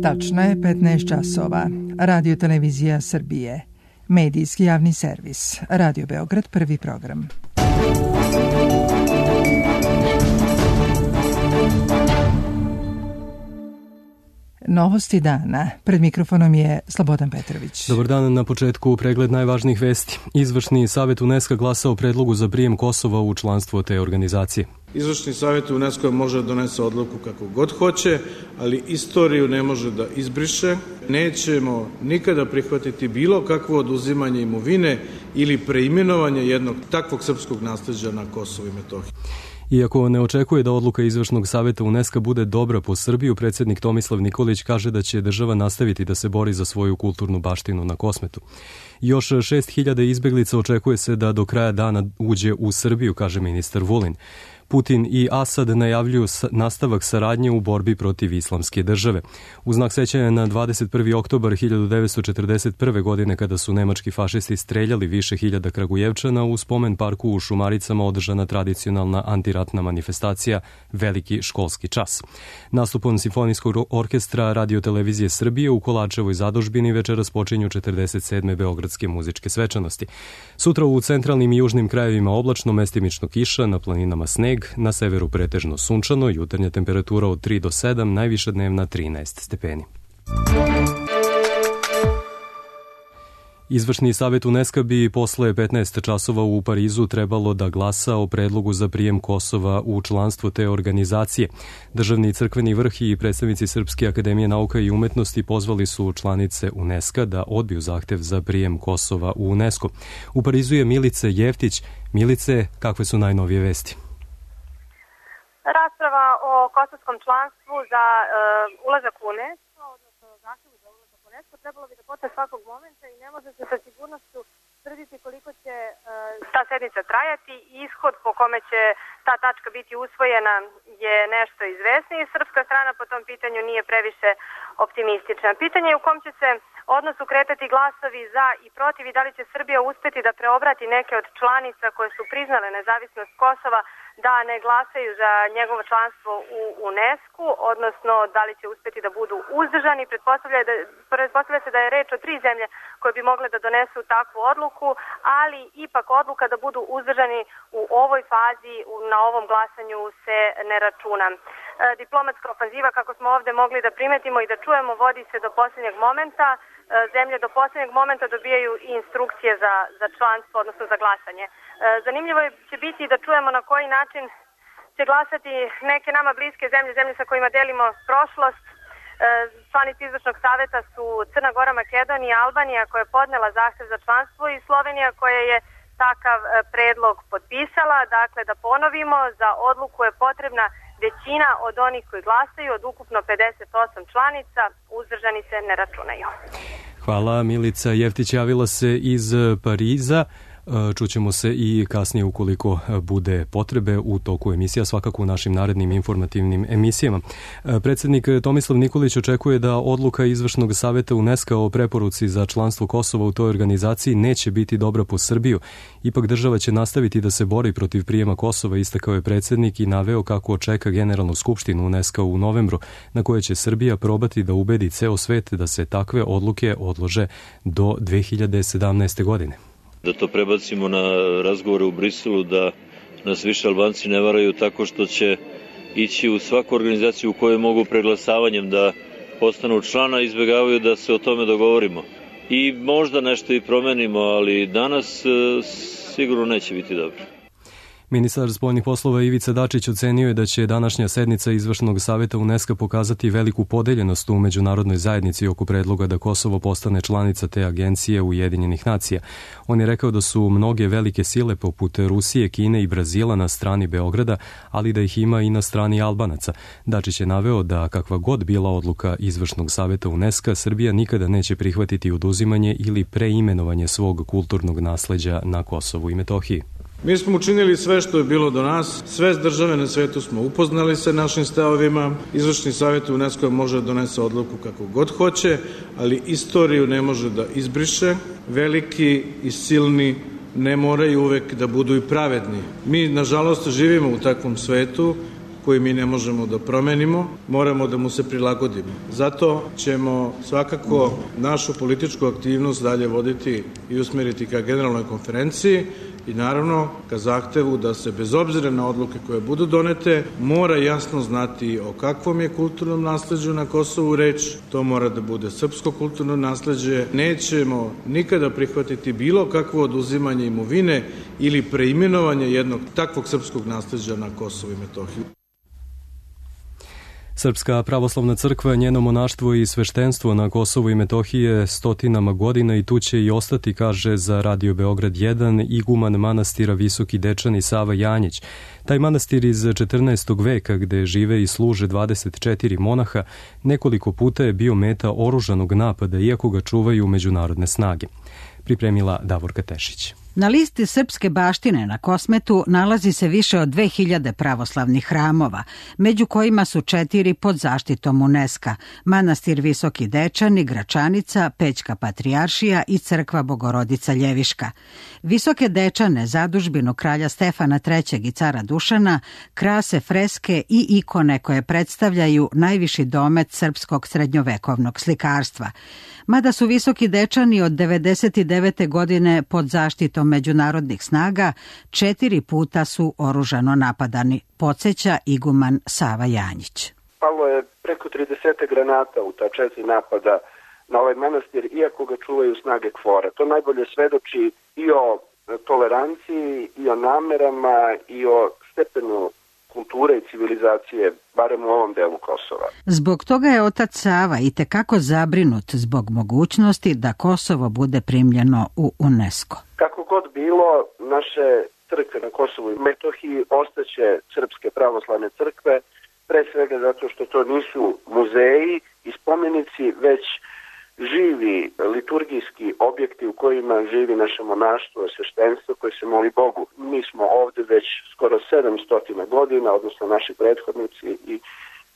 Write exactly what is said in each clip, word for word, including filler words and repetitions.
Tačno je petnaest časova. Radio Televizija Srbije. Medijski javni servis. Radio Beograd, prvi program. Novosti dana. Pred mikrofonom je Slobodan Petrović. Dobar dan, na početku pregled najvažnijih vesti. Izvršni savjet UNESCO glasa o predlogu za prijem Kosova u članstvo te organizacije. Izvršni savjet UNESCO može donese odluku kako god hoće, ali istoriju ne može da izbriše. Nećemo nikada prihvatiti bilo kakvo oduzimanje imovine ili preimenovanje jednog takvog srpskog nasleđa na Kosovu i Metohiji. Iako ne očekuje da odluka Izvršnog savjeta UNESCO bude dobra po Srbiju, predsjednik Tomislav Nikolić kaže da će država nastaviti da se bori za svoju kulturnu baštinu na Kosmetu. Još šest hiljada izbeglica očekuje se da do kraja dana uđe u Srbiju, kaže ministar Vulin. Putin i Asad najavljuju nastavak saradnje u borbi protiv islamske države. U znak sećanja na dvadeset prvi oktobar hiljadu devetsto četrdeset prve. godine, kada su nemački fašisti streljali više hiljada Kragujevčana, u spomen parku u Šumaricama održana tradicionalna antiratna manifestacija Veliki školski čas. Nastupom Simfonijskog orkestra Radio Televizije Srbije u Kolačevoj zadužbini večeras počinju četrdeset sedme beogradske muzičke svečanosti. Sutra u centralnim i južnim krajevima oblačno, mestimično kiša, na planinama sneg, na severu pretežno sunčano, jutarnja temperatura od tri do sedam, najviša dnevna trinaest stepeni. Izvršni savjet UNESCO bi posle petnaest časova u Parizu trebalo da glasa o predlogu za prijem Kosova u članstvo te organizacije. Državni crkveni vrh i predstavnici Srpske akademije nauka i umetnosti pozvali su članice UNESCO da odbiju zahtev za prijem Kosova u UNESCO. U Parizu je Milica Jeftić. Milice, kakve su najnovije vesti? Rasprava o kosovskom članstvu za uh, ulazak u UNESCO, odnosno zahtevu za ulazak u UNESCO, trebalo bi da počne svakog momenta i ne može se sa sigurnošću tvrditi koliko će uh, ta sednica trajati. Ishod po kome će ta tačka biti usvojena je nešto izvesnije. Srpska strana po tom pitanju nije previše optimistična. Pitanje je u kom će se odnosu kretati glasovi za i protiv i da li će Srbija uspeti da preobrati neke od članica koje su priznale nezavisnost Kosova da ne glasaju za njegovo članstvo u UNESCO, odnosno da li će uspeti da budu uzdržani. Pretpostavlja, da, pretpostavlja se da je reč o tri zemlje koje bi mogle da donesu takvu odluku, ali ipak odluka da budu uzdržani u ovoj fazi, na ovom glasanju se ne računa. E, diplomatska ofanziva, kako smo ovde mogli da primetimo i da čujemo, vodi se do posljednjeg momenta. E, zemlje do posljednjeg momenta dobijaju i instrukcije za, za članstvo, odnosno za glasanje. E, zanimljivo će biti da čujemo na koji način će glasati neke nama bliske zemlje, zemlje sa kojima delimo prošlost. E, članici Izvršnog savjeta su Crna Gora, Makedonija, Albanija koja je podnela zahtev za članstvo i Slovenija koja je takav predlog potpisala. Dakle, da ponovimo, za odluku je potrebna većina od onih koji glasaju, od ukupno pedeset osam članica, uzdržani se ne računaju. Hvala, Milica Jeftić javila se iz Pariza. Čućemo se i kasnije ukoliko bude potrebe u toku emisija, svakako u našim narednim informativnim emisijama. Predsjednik Tomislav Nikolić očekuje da odluka Izvršnog savjeta UNESCO o preporuci za članstvo Kosova u toj organizaciji neće biti dobra po Srbiju. Ipak država će nastaviti da se bori protiv prijema Kosova, istakao je predsjednik i naveo kako čeka Generalnu skupštinu UNESCO u novembru, na kojoj će Srbija probati da ubedi ceo svet da se takve odluke odlože do dve hiljade sedamnaeste. godine. Da to prebacimo na razgovore u Briselu, da nas više Albanci ne varaju tako što će ići u svaku organizaciju u kojoj mogu preglasavanjem da postanu člana, izbjegavaju da se o tome dogovorimo. I možda nešto i promenimo, ali danas sigurno neće biti dobro. Ministar spoljnih poslova Ivica Dačić ocenio je da će današnja sednica Izvršnog savjeta UNESCO pokazati veliku podeljenost u međunarodnoj zajednici oko predloga da Kosovo postane članica te agencije Ujedinjenih nacija. On je rekao da su mnoge velike sile poput Rusije, Kine i Brazila na strani Beograda, ali da ih ima i na strani Albanaca. Dačić je naveo da kakva god bila odluka Izvršnog savjeta UNESCO, Srbija nikada neće prihvatiti oduzimanje ili preimenovanje svog kulturnog nasleđa na Kosovu i Metohiji. Mi smo učinili sve što je bilo do nas, sve države na svetu smo upoznali sa našim stavovima, Izvršni savjet UNESCO može da donese odluku kako god hoće, ali istoriju ne može da izbriše, veliki i silni ne moraju uvek da budu i pravedni. Mi, nažalost, živimo u takvom svetu koji mi ne možemo da promenimo, moramo da mu se prilagodimo. Zato ćemo svakako našu političku aktivnost dalje voditi i usmeriti ka generalnoj konferenciji i naravno ka zahtevu da se bez obzira na odluke koje budu donete mora jasno znati o kakvom je kulturnom nasleđu na Kosovu reč. To mora da bude srpsko kulturno nasleđe. Nećemo nikada prihvatiti bilo kakvo oduzimanje imovine ili preimenovanje jednog takvog srpskog nasleđa na Kosovu i Metohiji. Srpska pravoslavna crkva, njeno monaštvo i sveštenstvo na Kosovu i Metohiji je stotinama godina i tu će i ostati, kaže za Radio Beograd jedan iguman manastira Visoki Dečani Sava Janjić. Taj manastir iz četrnaestog veka, gde žive i služe dvadeset četiri monaha, nekoliko puta je bio meta oružanog napada, iako ga čuvaju međunarodne snage. Pripremila Davorka Tešić. Na listi srpske baštine na Kosmetu nalazi se više od dve hiljade pravoslavnih hramova, među kojima su četiri pod zaštitom UNESCO: manastir Visoki Dečani, Gračanica, Pećka Patrijaršija i crkva Bogorodica Ljeviška. Visoke Dečane, zadužbinu kralja Stefana trećeg i cara Dušana, krase freske i ikone koje predstavljaju najviši domet srpskog srednjovekovnog slikarstva. Mada su Visoki Dečani od devedeset devete godine pod zaštitom međunarodnih snaga, četiri puta su oružano napadani, podsjeća iguman Sava Janjić. Palo je preko trideset granata u ta četiri napada na ovaj manastir, iako ga čuvaju snage KFOR-a. To najbolje svedoči i o toleranciji, i o namerama, i o stepenu kulture i civilizacije, barem u ovom delu Kosova. Zbog toga je otac Sava i tekako zabrinut zbog mogućnosti da Kosovo bude primljeno u UNESCO. Kako god bilo, naše crkve na Kosovu i Metohiji ostaće srpske pravoslavne crkve, pre svega zato što to nisu muzeji i spomenici, već živi liturgijski objekti u kojima živi naše monaštvo, sveštenstvo koje se moli Bogu. Mi smo ovde već skoro sedamsto godina, odnosno naši prethodnici i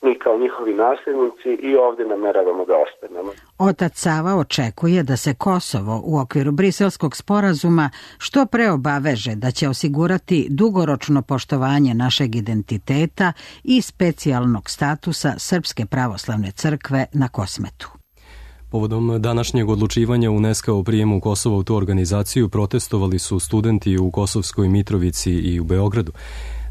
mi kao njihovi nasljednici, i ovde nameravamo da ostanemo. Otac Sava očekuje da se Kosovo u okviru Briselskog sporazuma što pre obaveže da će osigurati dugoročno poštovanje našeg identiteta i specijalnog statusa Srpske pravoslavne crkve na Kosmetu. Povodom današnjeg odlučivanja UNESCO o prijemu Kosova u tu organizaciju protestovali su studenti u Kosovskoj Mitrovici i u Beogradu,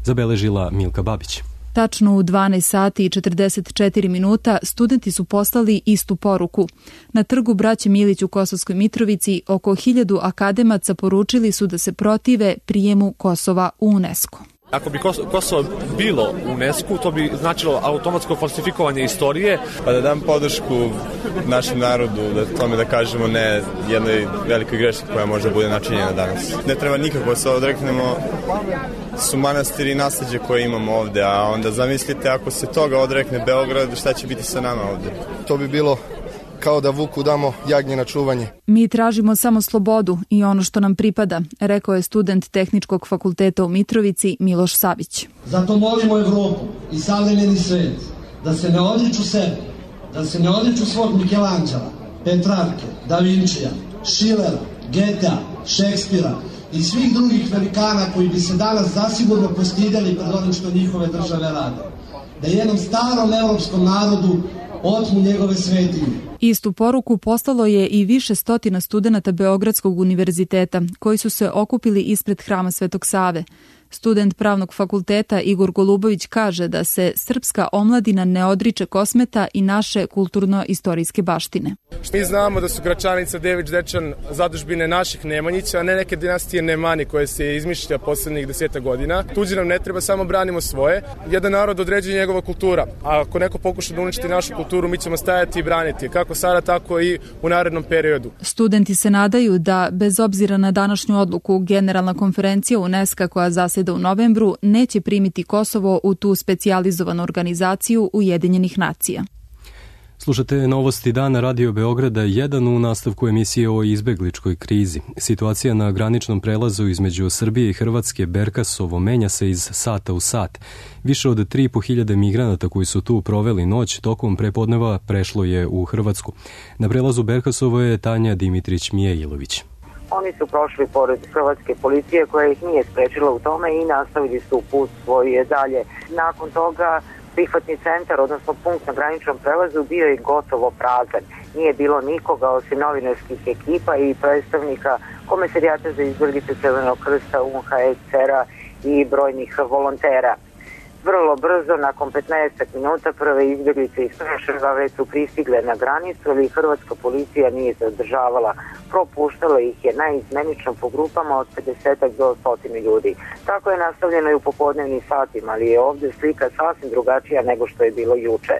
zabeležila Milka Babić. Tačno u dvanaest sati i četrdeset četiri minuta studenti su poslali istu poruku. Na trgu Braće Milić u Kosovskoj Mitrovici oko hiljadu akademaca poručili su da se protive prijemu Kosova u UNESCO. Ako bi Kosovo bilo u UNESCO, to bi značilo automatsko falsifikovanje istorije. Pa da dam podršku našem narodu, da tome da kažemo ne jednoj velikoj greški koja može bude načinjena danas. Ne treba nikako se odreknemo, su manastiri i nasleđe koje imamo ovde, a onda zamislite ako se toga odrekne Beograd, šta će biti sa nama ovde? To bi bilo kao da vuku damo jagnje na čuvanje. Mi tražimo samo slobodu i ono što nam pripada, rekao je student Tehničkog fakulteta u Mitrovici Miloš Savić. Zato molimo Evropu i savremeni svet da se ne odriču sebe, da se ne odriču svog Mikelanđela, Petrarke, Da Vinčija, Schillera, Getea, Šekspira i svih drugih velikana koji bi se danas zasigurno postidjeli pred onim što njihove države rade. Da jednom starom evropskom narodu otmu njegove svetinje. Istu poruku poslalo je i više stotina studenata Beogradskog univerziteta koji su se okupili ispred hrama Svetog Save. Student pravnog fakulteta Igor Golubović kaže da se srpska omladina ne odriče Kosmeta i naše kulturno-istorijske baštine. Mi znamo da su Gračanica, Dević, Dečan zadužbine naših Nemanjića, a ne neke dinastije Nemani koje se izmišlja poslednjih deseta godina. Tuđi nam ne treba, samo branimo svoje. Jedan narod određuje njegova kultura, a ako neko pokuša da uništi našu kulturu, mi ćemo stajati i braniti, kako sada, tako i u narednom periodu. Studenti se nadaju da, bez obzira na današnju odluku, Generalna konferencija UNESCO koja zaseda u novembru neće primiti Kosovo u tu specijalizovanu organizaciju Ujedinjenih nacija. Slušate novosti dana Radio Beograda jedan u nastavku emisije o izbegličkoj krizi. Situacija na graničnom prelazu između Srbije i Hrvatske Berkasovo menja se iz sata u sat. Više od tri i po hiljade migranata koji su tu proveli noć tokom prepodneva prešlo je u Hrvatsku. Na prelazu Berkasovo je Tanja Dimitrić Mijailović. Oni su prošli pored hrvatske policije koja ih nije sprečila u tome i nastavili su put svoj dalje. Nakon toga prihvatni centar, odnosno punkt na graničnom prelazu, bio je gotovo prazan. Nije bilo nikoga osim novinarskih ekipa i predstavnika Komesarijata za izbjeglice Crvenog krsta, U N H C R-a i brojnih volontera. Vrlo brzo, nakon petnaest minuta, prve izbjeglice iz Preševa već su pristigle na granicu, ali hrvatska policija nije zadržavala. Propuštala ih je naizmenično po grupama od pedeset do sto ljudi. Tako je nastavljeno i u popodnevnim satima, ali je ovdje slika sasvim drugačija nego što je bilo juče.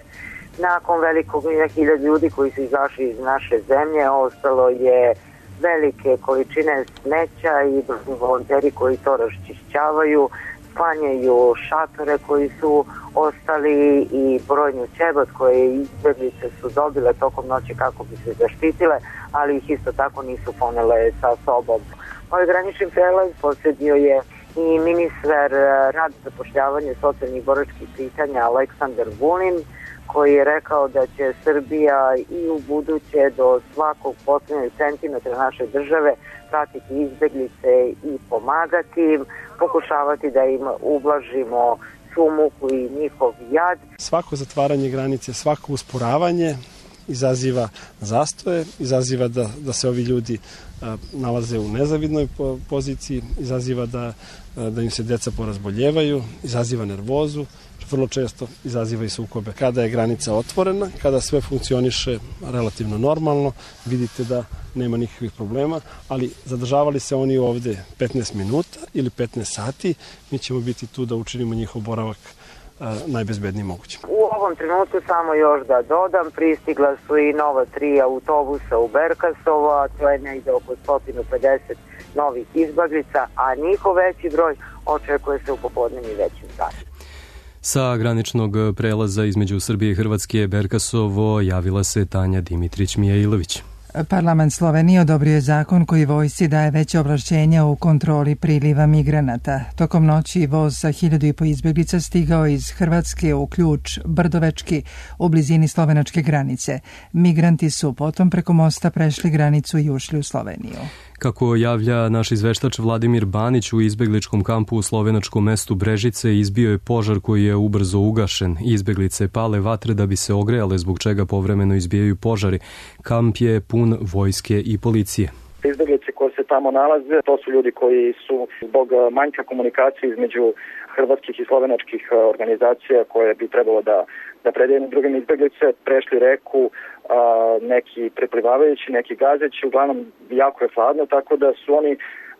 Nakon velikog hiljada ljudi koji su izašli iz naše zemlje, ostalo je velike količine smeća i volonteri koji to raščišćavaju, sklanjaju šatore koji su ostali i brojni ćebad koje izbjeglice su dobile tokom noći kako bi se zaštitile, ali ih isto tako nisu ponele sa sobom. Ovaj granični prelaz posjedio je i ministar rada, zapošljavanja i socijalnih boračkih pitanja Aleksandar Vulin, koji je rekao da će Srbija i u buduće do svakog posljednjeg centimetra naše države pratiti izbjeglice i pomagati im, pokušavati da im ublažimo svu muku i njihov jad. Svako zatvaranje granice, svako usporavanje izaziva zastoje, izaziva da, da se ovi ljudi a, nalaze u nezavidnoj poziciji, izaziva da, a, da im se deca porazboljevaju, izaziva nervozu, vrlo često izaziva i sukobe. Kada je granica otvorena, kada sve funkcioniše relativno normalno, vidite da nema nikakvih problema, ali zadržavali se oni ovde petnaest minuta ili petnaest sati, mi ćemo biti tu da učinimo njihov boravak a, najbezbednijim mogućim. U ovom trenutku samo još da dodam, pristigla su i nova tri autobusa u Berkasovo, a to je negde oko sto pedeset novih izbjeglica, a njihov veći broj očekuje se u popodnevnim većim satima. Sa graničnog prelaza između Srbije i Hrvatske Berkasovo javila se Tanja Dimitrić-Mijailović. Parlament Slovenije odobrio je zakon koji vojsci daje veće ovlašćenja u kontroli priliva migranata. Tokom noći voz sa hiljadu i po izbjeglica stigao iz Hrvatske u Ključ Brdovečki u blizini slovenačke granice. Migranti su potom preko mosta prešli granicu i ušli u Sloveniju. Kako javlja naš izveštač Vladimir Banić, u izbegličkom kampu u slovenačkom mestu Brežice izbio je požar koji je ubrzo ugašen. Izbeglice pale vatre da bi se ogrejale, zbog čega povremeno izbijaju požari. Kamp je pun vojske i policije. Izbeglice koje se tamo nalaze, to su ljudi koji su zbog manjka komunikacije između hrvatskih i slovenačkih organizacija koje bi trebalo da, da predaju drugim izbeglice, prešli reku, a, neki preplivavajući, neki gazeći, uglavnom jako je hladno, tako da su oni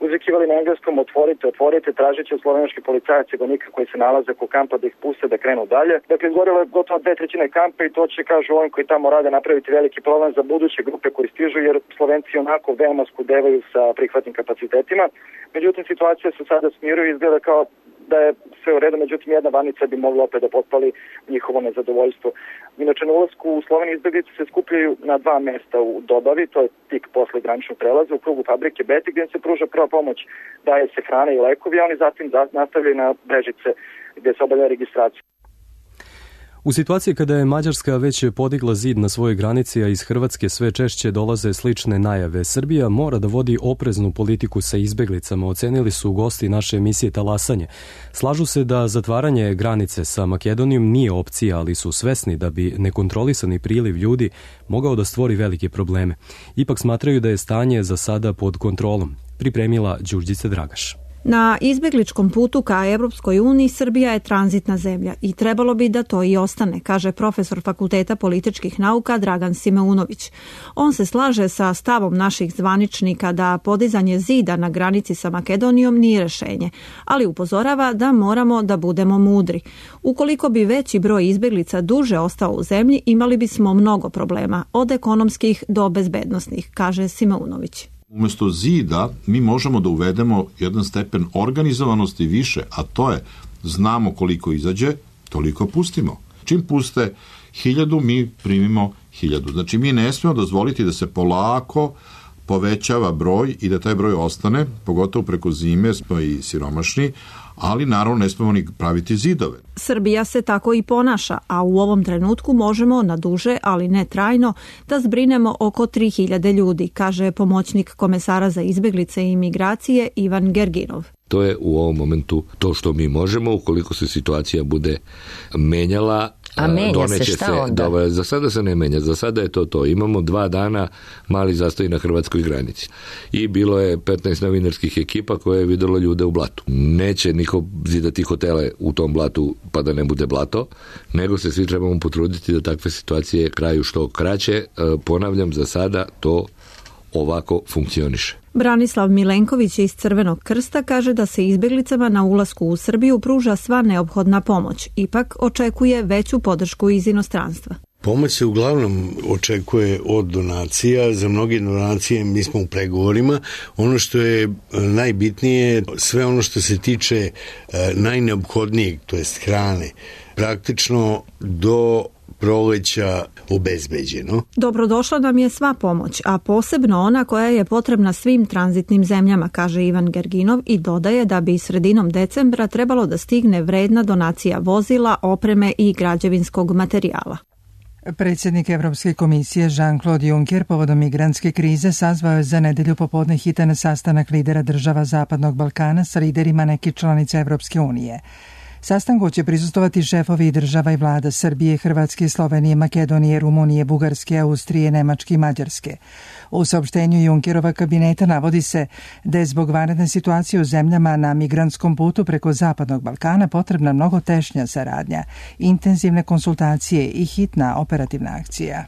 uzvikivali na engleskom otvorite, otvorite, tražeći od slovenačkih policajaca i vojnika koji se nalaze oko kampa da ih puste da krenu dalje. Dakle, izgorilo je gotovo dve trećine kampa i to će, kažu ovim koji tamo rade, napraviti veliki problem za buduće grupe koji stižu, jer Slovenci onako veoma skudevaju sa prihvatnim kapacitetima. Međutim, situacija se sada smiruje i izgleda kao da je sve u redu, međutim jedna vanica bi mogla opet da potpali njihovo nezadovoljstvo. Inače, na ulasku u Sloveniji izbjeglice se skupljaju na dva mesta u Dobavi, to je tik posle graničnog prelaza, u krugu fabrike Beti, gdje se pruža prva pomoć, daje se hrana i lekovi, a oni zatim nastavljaju na Brežice gdje se obavlja registracija. U situaciji kada je Mađarska već podigla zid na svojoj granici, a iz Hrvatske sve češće dolaze slične najave, Srbija mora da vodi opreznu politiku sa izbeglicama, ocenili su gosti naše emisije Talasanje. Slažu se da zatvaranje granice sa Makedonijom nije opcija, ali su svesni da bi nekontrolisani priliv ljudi mogao da stvori velike probleme. Ipak smatraju da je stanje za sada pod kontrolom. Pripremila Đurđica Dragaš. Na izbjegličkom putu ka Evropskoj uniji Srbija je tranzitna zemlja i trebalo bi da to i ostane, kaže profesor Fakulteta političkih nauka Dragan Simeunović. On se slaže sa stavom naših zvaničnika da podizanje zida na granici sa Makedonijom nije rešenje, ali upozorava da moramo da budemo mudri. Ukoliko bi veći broj izbjeglica duže ostao u zemlji, imali bismo mnogo problema, od ekonomskih do bezbednosnih, kaže Simeunović. Umesto zida mi možemo da uvedemo jedan stepen organizovanosti više, a to je znamo koliko izađe, toliko pustimo. Čim puste hiljadu, mi primimo hiljadu. Znači mi ne smemo dozvoliti da se polako povećava broj i da taj broj ostane, pogotovo preko zime smo i siromašni, ali naravno ne smemo ni praviti zidove. Srbija se tako i ponaša, a u ovom trenutku možemo na duže, ali ne trajno, da zbrinemo oko tri hiljade ljudi, kaže pomoćnik komesara za izbeglice i imigracije Ivan Gerginov. To je u ovom momentu to što mi možemo, ukoliko se situacija bude menjala. A menja se šta se, onda? Da, za sada se ne menja, za sada je to to. Imamo dva dana mali zastoj na hrvatskoj granici. I bilo je petnaest novinarskih ekipa koje je videlo ljude u blatu. Neće niko zidati hotele u tom blatu pa da ne bude blato, nego se svi trebamo potruditi da takve situacije kraju što kraće. Ponavljam, za sada to ovako funkcioniše. Branislav Milenković iz Crvenog krsta kaže da se izbeglicama na ulasku u Srbiju pruža sva neophodna pomoć. Ipak očekuje veću podršku iz inostranstva. Pomoć se uglavnom očekuje od donacija. Za mnoge donacije mi smo u pregovorima. Ono što je najbitnije, sve ono što se tiče najneophodnijeg, to jest hrane, praktično do proleća obezbeđeno. Dobrodošla nam je sva pomoć, a posebno ona koja je potrebna svim tranzitnim zemljama, kaže Ivan Gerginov i dodaje da bi sredinom decembra trebalo da stigne vredna donacija vozila, opreme i građevinskog materijala. Predsjednik Evropske komisije Jean-Claude Juncker povodom migrantske krize sazvao je za nedelju popodne hitan sastanak lidera država Zapadnog Balkana sa liderima nekih članica Evropske unije. Sastanku će prisustovati šefovi država i vlada Srbije, Hrvatske, Slovenije, Makedonije, Rumunije, Bugarske, Austrije, Nemačke i Mađarske. U saopštenju Junckerova kabineta navodi se da je zbog vanredne situacije u zemljama na migrantskom putu preko Zapadnog Balkana potrebna mnogo tešnja saradnja, intenzivne konsultacije i hitna operativna akcija.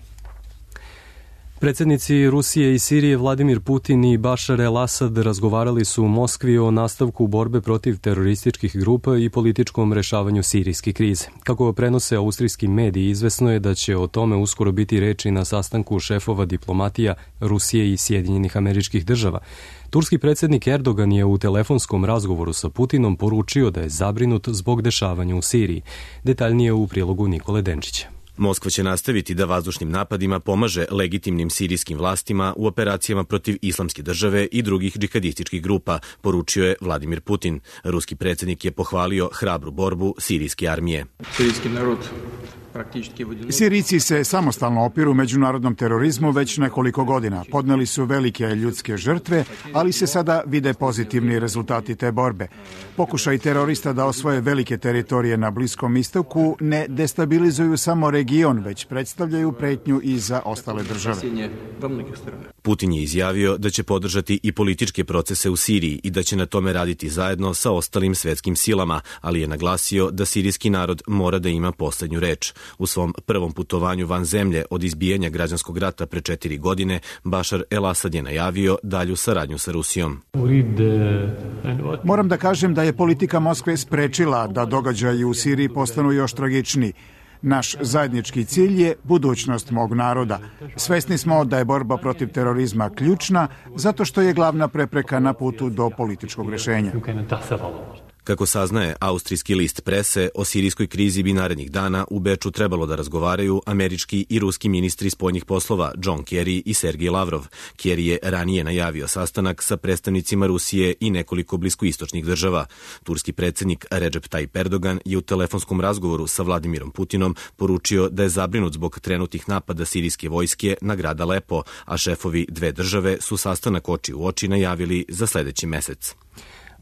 Predsjednici Rusije i Sirije Vladimir Putin i Bašar el-Asad razgovarali su u Moskvi o nastavku borbe protiv terorističkih grupa i političkom rešavanju sirijske krize. Kako prenose austrijski mediji, izvesno je da će o tome uskoro biti reči na sastanku šefova diplomatija Rusije i Sjedinjenih Američkih Država. Turski predsjednik Erdogan je u telefonskom razgovoru sa Putinom poručio da je zabrinut zbog dešavanja u Siriji. Detaljnije u prilogu Nikole Denčića. Moskva će nastaviti da vazdušnim napadima pomaže legitimnim sirijskim vlastima u operacijama protiv islamske države i drugih džihadističkih grupa, poručio je Vladimir Putin. Ruski predsjednik je pohvalio hrabru borbu sirijske armije. Sirijski narod Sirijci se samostalno opiru međunarodnom terorizmu već nekoliko godina. Podneli su velike ljudske žrtve, ali se sada vide pozitivni rezultati te borbe. Pokušaj terorista da osvoje velike teritorije na Bliskom istoku ne destabilizuju samo region, već predstavljaju pretnju i za ostale države. Putin je izjavio da će podržati i političke procese u Siriji i da će na tome raditi zajedno sa ostalim svetskim silama, ali je naglasio da sirijski narod mora da ima poslednju reč. U svom prvom putovanju van zemlje od izbijanja građanskog rata pre četiri godine, Bašar el-Asad je najavio dalju saradnju sa Rusijom. Moram da kažem da je politika Moskve sprečila da događaji u Siriji postanu još tragičniji. Naš zajednički cilj je budućnost mog naroda. Svesni smo da je borba protiv terorizma ključna, zato što je glavna prepreka na putu do političkog rešenja. Kako saznaje austrijski list Prese, o sirijskoj krizi bi narednih dana u Beču trebalo da razgovaraju američki i ruski ministri spoljnih poslova John Kerry i Sergej Lavrov. Kerry je ranije najavio sastanak sa predstavnicima Rusije i nekoliko bliskoistočnih država. Turski predsjednik Recep Tayyip Erdogan je u telefonskom razgovoru sa Vladimirom Putinom poručio da je zabrinut zbog trenutnih napada sirijske vojske na grad Alepo, a šefovi dve države su sastanak oči u oči najavili za sledeći mesec.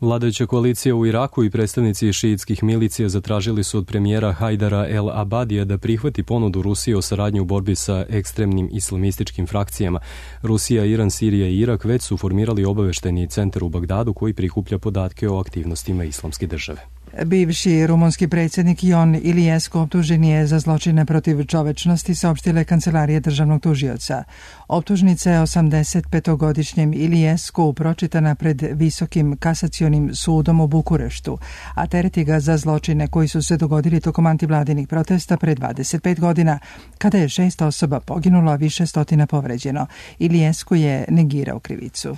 Vladajuća koalicija u Iraku i predstavnici šiitskih milicija zatražili su od premijera Hajdara el-Abadija da prihvati ponudu Rusije o saradnji u borbi sa ekstremnim islamističkim frakcijama. Rusija, Iran, Sirija i Irak već su formirali obaveštajni centar u Bagdadu koji prikuplja podatke o aktivnostima islamske države. Bivši rumunski predsjednik Ion Iliescu optužen je za zločine protiv čovečnosti, saopštila je kancelarija državnog tužioca. Optužnica je osamdesetpetogodišnjem Iliescu pročitana pred Visokim kasacionim sudom u Bukureštu, a tereti ga za zločine koji su se dogodili tokom antivladinih protesta pre dvadeset pet godina, kada je šest osoba poginulo, a više stotina povređeno. Iliescu je negirao krivicu.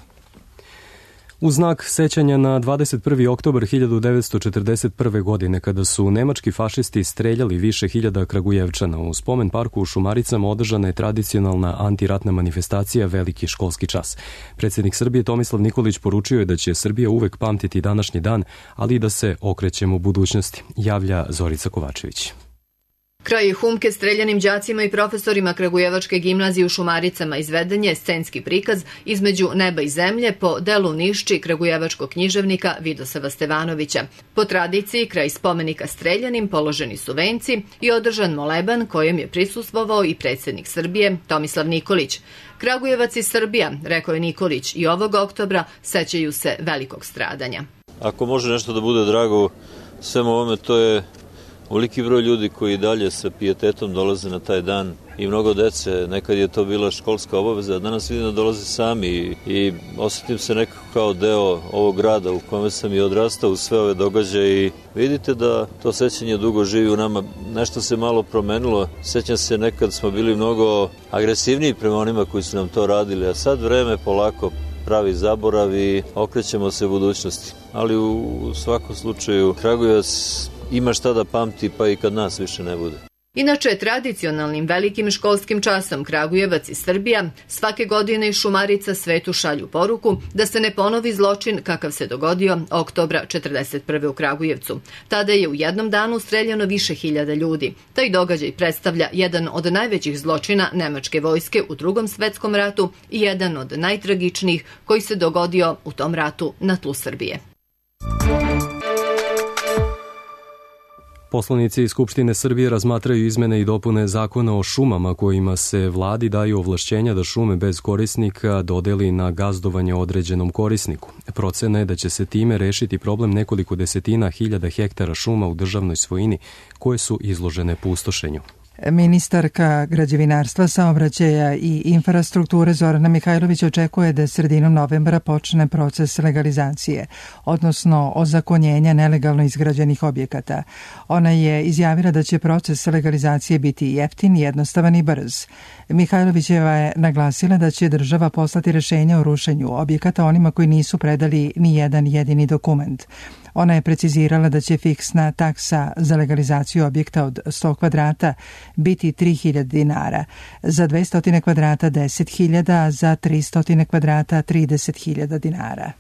U znak sećanja na dvadeset prvi oktobar hiljadu devetsto četrdeset prve. godine, kada su nemački fašisti streljali više hiljada Kragujevčana, u spomen parku u Šumaricama održana je tradicionalna antiratna manifestacija Veliki školski čas. Predsjednik Srbije Tomislav Nikolić poručio je da će Srbija uvek pamtiti današnji dan, ali i da se okrećemo u budućnosti, javlja Zorica Kovačević. Kraj humke streljanim đacima i profesorima Kragujevačke gimnazije u Šumaricama izveden je scenski prikaz Između neba i zemlje po delu Nišči kragujevačkog književnika Vidosava Stevanovića. Po tradiciji, kraj spomenika streljanim položeni su venci i održan moleban kojem je prisustvovao i predsjednik Srbije Tomislav Nikolić. Kragujevac i Srbija, rekao je Nikolić, i ovog oktobra sećaju se velikog stradanja. Ako može nešto da bude drago svemu ovome, to je veliki broj ljudi koji dalje sa pijetetom dolaze na taj dan i mnogo dece. Nekad je to bila školska obaveza, a danas vidim da dolaze sami i, i osjetim se nekako kao deo ovog grada u kome sam i odrastao u sve ove događaje i vidite da to sećanje dugo živi u nama. Nešto se malo promenilo. Sećam se, nekad smo bili mnogo agresivniji prema onima koji su nam to radili, a sad vreme polako pravi zaborav i okrećemo se u budućnosti. Ali u svakom slučaju Kragujevac ima šta da pamti, pa i kad nas više ne bude. Inače, tradicionalnim velikim školskim časom Kragujevac i Srbija svake godine iz Šumarica svetu šalju poruku da se ne ponovi zločin kakav se dogodio oktobra četrdeset prve. u Kragujevcu. Tada je u jednom danu streljano više hiljada ljudi. Taj događaj predstavlja jedan od najvećih zločina nemačke vojske u Drugom svetskom ratu i jedan od najtragičnijih koji se dogodio u tom ratu na tlu Srbije. Poslanici iz Skupštine Srbije razmatraju izmene i dopune zakona o šumama kojima se vladi daju ovlašćenja da šume bez korisnika dodeli na gazdovanje određenom korisniku. Procena je da će se time rešiti problem nekoliko desetina hiljada hektara šuma u državnoj svojini koje su izložene pustošenju. Ministarka građevinarstva, saobraćaja i infrastrukture Zorana Mihajlović očekuje da sredinom novembra počne proces legalizacije, odnosno ozakonjenja nelegalno izgrađenih objekata. Ona je izjavila da će proces legalizacije biti jeftin, jednostavan i brz. Mihajlovićeva je naglasila da će država poslati rešenja o rušenju objekata onima koji nisu predali ni jedan jedini dokument. Ona je precizirala da će fiksna taksa za legalizaciju objekta od sto kvadrata biti tri hiljade dinara, za dvesta kvadrata deset hiljada, a za tristo kvadrata trideset hiljada dinara.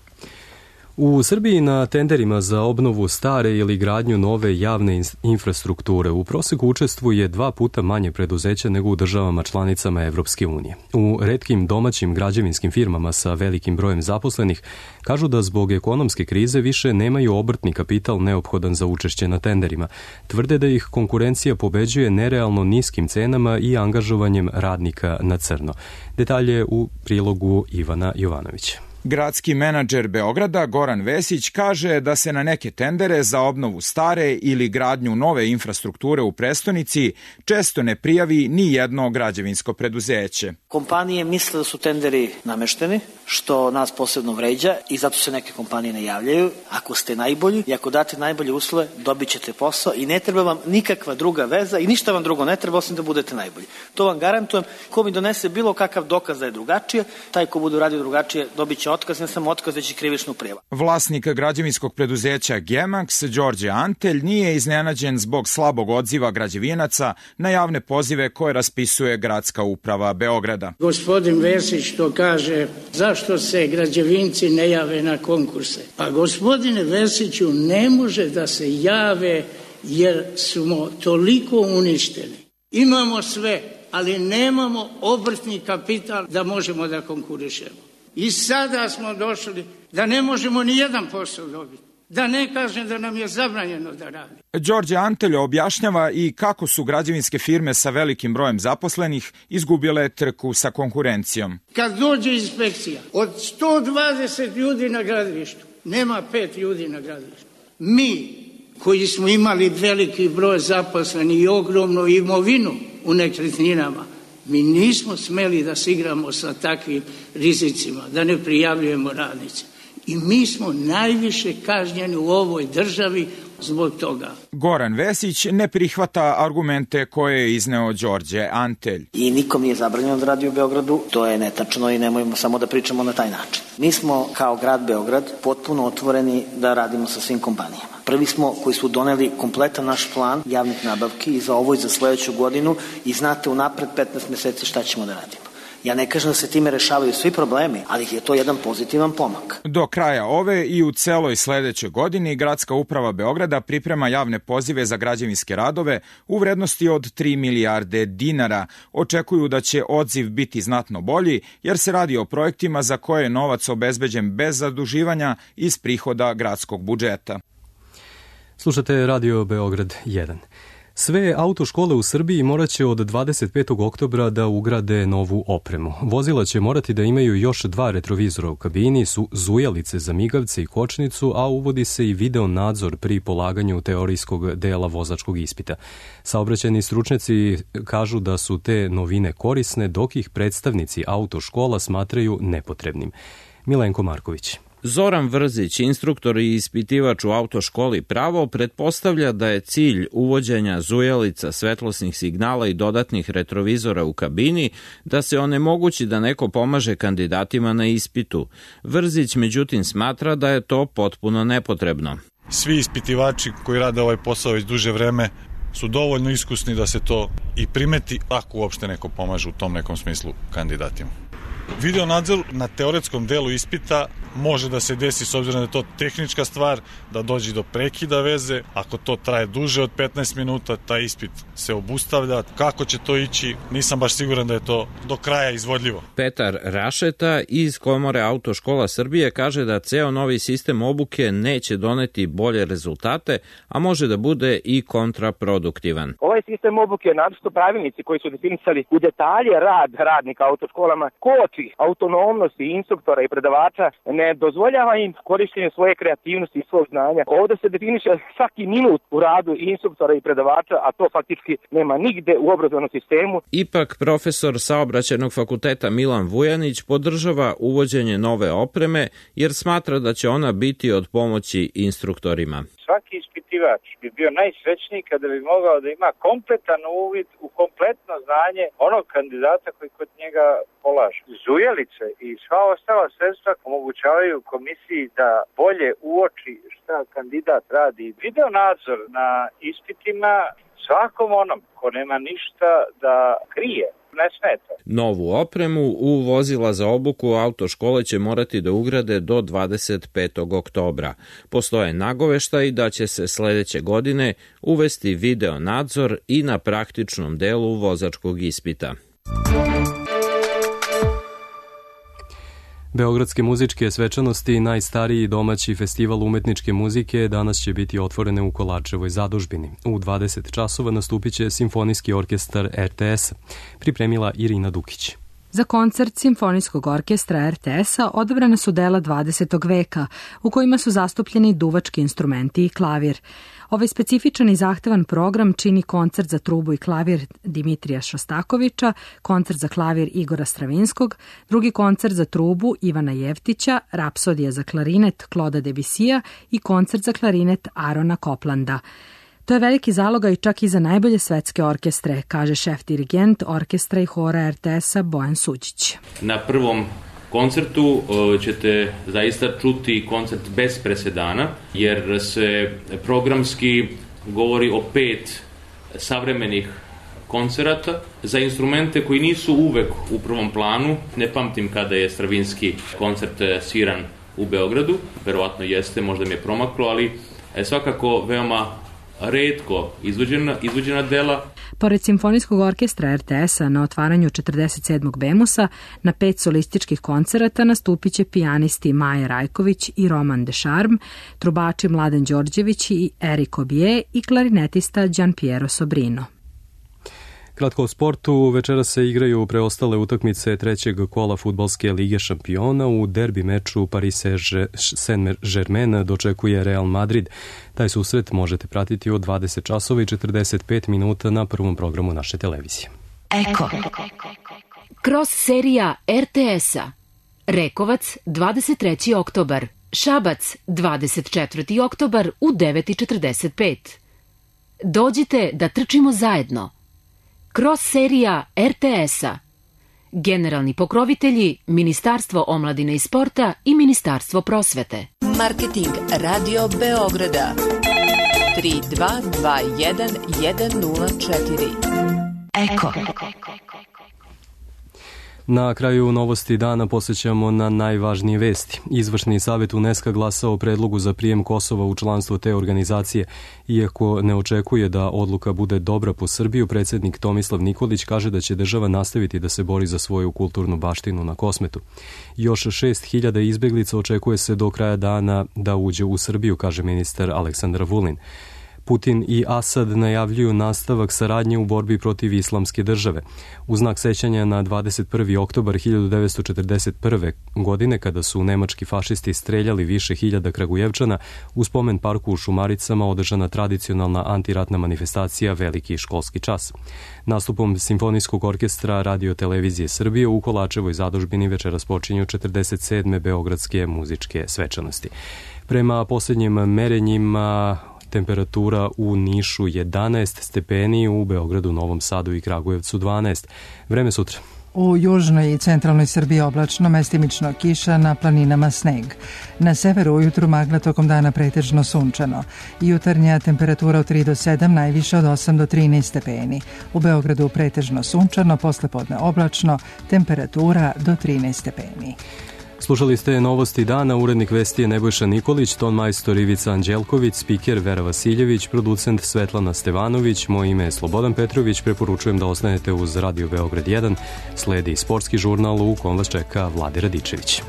U Srbiji na tenderima za obnovu stare ili gradnju nove javne infrastrukture u proseku učestvuje dva puta manje preduzeća nego u državama članicama Evropske unije. U retkim domaćim građevinskim firmama sa velikim brojem zaposlenih kažu da zbog ekonomske krize više nemaju obrtni kapital neophodan za učešće na tenderima. Tvrde da ih konkurencija pobeđuje nerealno niskim cenama i angažovanjem radnika na crno. Detalje u prilogu Ivana Jovanovića. Gradski menadžer Beograda Goran Vesić kaže da se na neke tendere za obnovu stare ili gradnju nove infrastrukture u prestonici često ne prijavi ni jedno građevinsko preduzeće. Kompanije misle da su tenderi namešteni, što nas posebno vređa i zato se neke kompanije ne javljaju. Ako ste najbolji i ako date najbolje uslove, dobit ćete posao i ne treba vam nikakva druga veza i ništa vam drugo ne treba osim da budete najbolji. To vam garantujem. Ko mi donese bilo kakav dokaz da je drugačije, taj ko bude radio drugačije dobit će otkaz, ne samo otkaz, već i krivičnu prijavu. Vlasnik građevinskog preduzeća Gemax, Đorđe Antelj, nije iznenađen zbog slabog odziva građevinaca na javne pozive koje raspisuje Gradska uprava Beograda. Gospodin Vesić to kaže, zašto se građevinci ne jave na konkurse? Pa gospodine Vesiću, ne može da se jave jer smo toliko uništeni. Imamo sve, ali nemamo obrtni kapital da možemo da konkurišemo. I sada smo došli da ne možemo ni jedan posao dobiti. Da ne kažem da nam je zabranjeno da radi. Đorđe Antelj objašnjava i kako su građevinske firme sa velikim brojem zaposlenih izgubile trku sa konkurencijom. Kad dođe inspekcija, od sto dvadeset ljudi na gradilištu, nema pet ljudi na gradilištu. Mi, koji smo imali veliki broj zaposlenih i ogromnu imovinu u nekretninama, mi nismo smeli da se igramo sa takvim rizicima, da ne prijavljujemo radnice. I mi smo najviše kažnjeni u ovoj državi zbog toga. Goran Vesić ne prihvata argumente koje je izneo Đorđe Antelj. I nikom nije zabranjeno da radi u Beogradu, to je netačno i nemojmo samo da pričamo na taj način. Mi smo kao grad Beograd potpuno otvoreni da radimo sa svim kompanijama. Prvi smo koji su doneli kompletan naš plan javnih nabavki i za ovo i za sledeću godinu i znate unapred petnaest meseci šta ćemo da radimo. Ja ne kažem da se time rešavaju svi problemi, ali je to jedan pozitivan pomak. Do kraja ove i u celoj sledećoj godini Gradska uprava Beograda priprema javne pozive za građevinske radove u vrednosti od tri milijarde dinara. Očekuju da će odziv biti znatno bolji, jer se radi o projektima za koje je novac obezbeđen bez zaduživanja iz prihoda gradskog budžeta. Slušate Radio Beograd jedan. Sve autoškole u Srbiji morat će od dvadeset petog oktobra da ugrade novu opremu. Vozila će morati da imaju još dva retrovizora u kabini, su zujalice za migavce i kočnicu, a uvodi se i video nadzor pri polaganju teorijskog dela vozačkog ispita. Saobraćajni stručnjaci kažu da su te novine korisne, dok ih predstavnici autoškola smatraju nepotrebnim. Milenko Marković. Zoran Vrzić, instruktor i ispitivač u autoškoli Pravo, pretpostavlja da je cilj uvođenja zujalica, svetlosnih signala i dodatnih retrovizora u kabini da se onemogući da neko pomaže kandidatima na ispitu. Vrzić međutim smatra da je to potpuno nepotrebno. Svi ispitivači koji rade ovaj posao već duže vreme su dovoljno iskusni da se to i primeti ako uopšte neko pomaže u tom nekom smislu kandidatima. Video nadzor na teoretskom delu ispita može da se desi s obzirom da je to tehnička stvar, da dođe do prekida veze. Ako to traje duže od petnaest minuta, taj ispit se obustavlja. Kako će to ići, nisam baš siguran da je to do kraja izvodljivo. Petar Rašeta iz Komore autoškola Srbije kaže da ceo novi sistem obuke neće doneti bolje rezultate, a može da bude i kontraproduktivan. Ovaj sistem obuke, naročito pravilnici koji su definisali u detalje rad radnika autoškolama, koči autonomnosti instruktora i predavača, ne dozvoljava im korištenje svoje kreativnosti i svog znanja. Ovde se definiše svaki minut u radu instruktora i predavača, a to faktički nema nigde u obrazovnom sistemu. Ipak profesor Saobraćajnog fakulteta Milan Vujanić podržava uvođenje nove opreme jer smatra da će ona biti od pomoći instruktorima. Svaki ispitivač bi bio najsrećniji kada bi mogao da ima kompletan uvid u kompletno znanje onog kandidata koji kod njega polaže. Zujalice i sva ostala sredstva omogućavaju komisiji da bolje uoči šta kandidat radi. Video nadzor na ispitima svakom onom ko nema ništa da krije ne smeta. Novu opremu u vozila za obuku autoškole će morati da ugrade do dvadeset petog oktobra. Postoje nagoveštaj da će se sledeće godine uvesti video nadzor i na praktičnom delu vozačkog ispita. Beogradske muzičke svečanosti, najstariji domaći festival umetničke muzike, danas će biti otvorene u Kolačevoj zadužbini. U dvadeset časova nastupit će Simfonijski orkestar er te es. Pripremila Irina Dukić. Za koncert Simfonijskog orkestra er te es-a odabrana su dela dvadesetog veka, u kojima su zastupljeni duvački instrumenti i klavir. Ovaj specifičan i zahtevan program čini koncert za trubu i klavir Dimitrija Šostakovića, koncert za klavir Igora Stravinskog, drugi koncert za trubu Ivana Jevtića, rapsodija za klarinet Kloda Debisija i koncert za klarinet Arona Koplanda. To je veliki zalogaj čak i za najbolje svetske orkestre, kaže šef dirigent orkestra i hora er te es-a Bojan Suđić. Na prvom koncertu ćete zaista čuti koncert bez presedana, jer se programski govori o pet savremenih koncerata za instrumente koji nisu uvek u prvom planu. Ne pamtim kada je Stravinski koncert sviran u Beogradu, verovatno jeste, možda mi je promaklo, ali svakako veoma retko izvođena, izvođena dela. Pored Simfonijskog orkestra er te es-a na otvaranju četrdeset sedmog Bemusa, na pet solističkih koncerata nastupit će pijanisti Maja Rajković i Roman Dešarm, trubači Mladen Đorđević i Erik Obije i klarinetista Gianpiero Sobrino. Kratko o sportu, večera se igraju preostale utakmice trećeg kola fudbalske lige šampiona. U derbi meču Paris Saint-Germain dočekuje Real Madrid. Taj susret možete pratiti od dvadeset časova i četrdeset pet minuta na prvom programu naše televizije. Eko. Kroz serija er te es-a. Rekovac, dvadeset treći oktobar, Šabac, dvadeset četvrti oktobar u devet i četrdeset pet. Dođite da trčimo zajedno. Cross serija er te es-a. Generalni pokrovitelji Ministarstvo omladine i sporta i Ministarstvo prosvete. Marketing Radio Beograda tri dva dva jedan jedan nula četiri. Eko. Na kraju novosti dana posjećamo na najvažnije vesti. Izvršni savjet UNESCO glasao o predlogu za prijem Kosova u članstvo te organizacije. Iako ne očekuje da odluka bude dobra po Srbiju, predsjednik Tomislav Nikolić kaže da će država nastaviti da se bori za svoju kulturnu baštinu na Kosmetu. Još šest hiljada izbjeglica očekuje se do kraja dana da uđe u Srbiju, kaže ministar Aleksandar Vulin. Putin i Asad najavljuju nastavak saradnje u borbi protiv islamske države. U znak sećanja na dvadeset prvi oktobar hiljadu devetsto četrdeset prve. godine, kada su nemački fašisti streljali više hiljada Kragujevčana, u spomen parku u Šumaricama održana tradicionalna antiratna manifestacija Veliki školski čas. Nastupom Simfonijskog orkestra Radio Televizije Srbije u Kolačevoj zadužbini večeras počinju četrdeset sedme beogradske muzičke svečanosti. Prema posljednjim merenjima, temperatura u Nišu jedanaest stepeni, u Beogradu, Novom Sadu i Kragujevcu dvanaest. Vreme sutra. U južnoj i centralnoj Srbiji oblačno, mestimično kiša, na planinama sneg. Na severu ujutru magla, tokom dana pretežno sunčano. Jutarnja temperatura od tri do sedam, najviše od osam do trinaest stepeni. U Beogradu pretežno sunčano, poslepodne oblačno, temperatura do trinaest stepeni. Slušali ste novosti dana, urednik vesti je Nebojša Nikolić, ton majstor Ivica Anđelković, spiker Vera Vasiljević, producent Svetlana Stevanović, moje ime je Slobodan Petrović, preporučujem da ostanete uz Radio Beograd jedan, sledi sportski žurnal u kom vas čeka Vlade Radičević.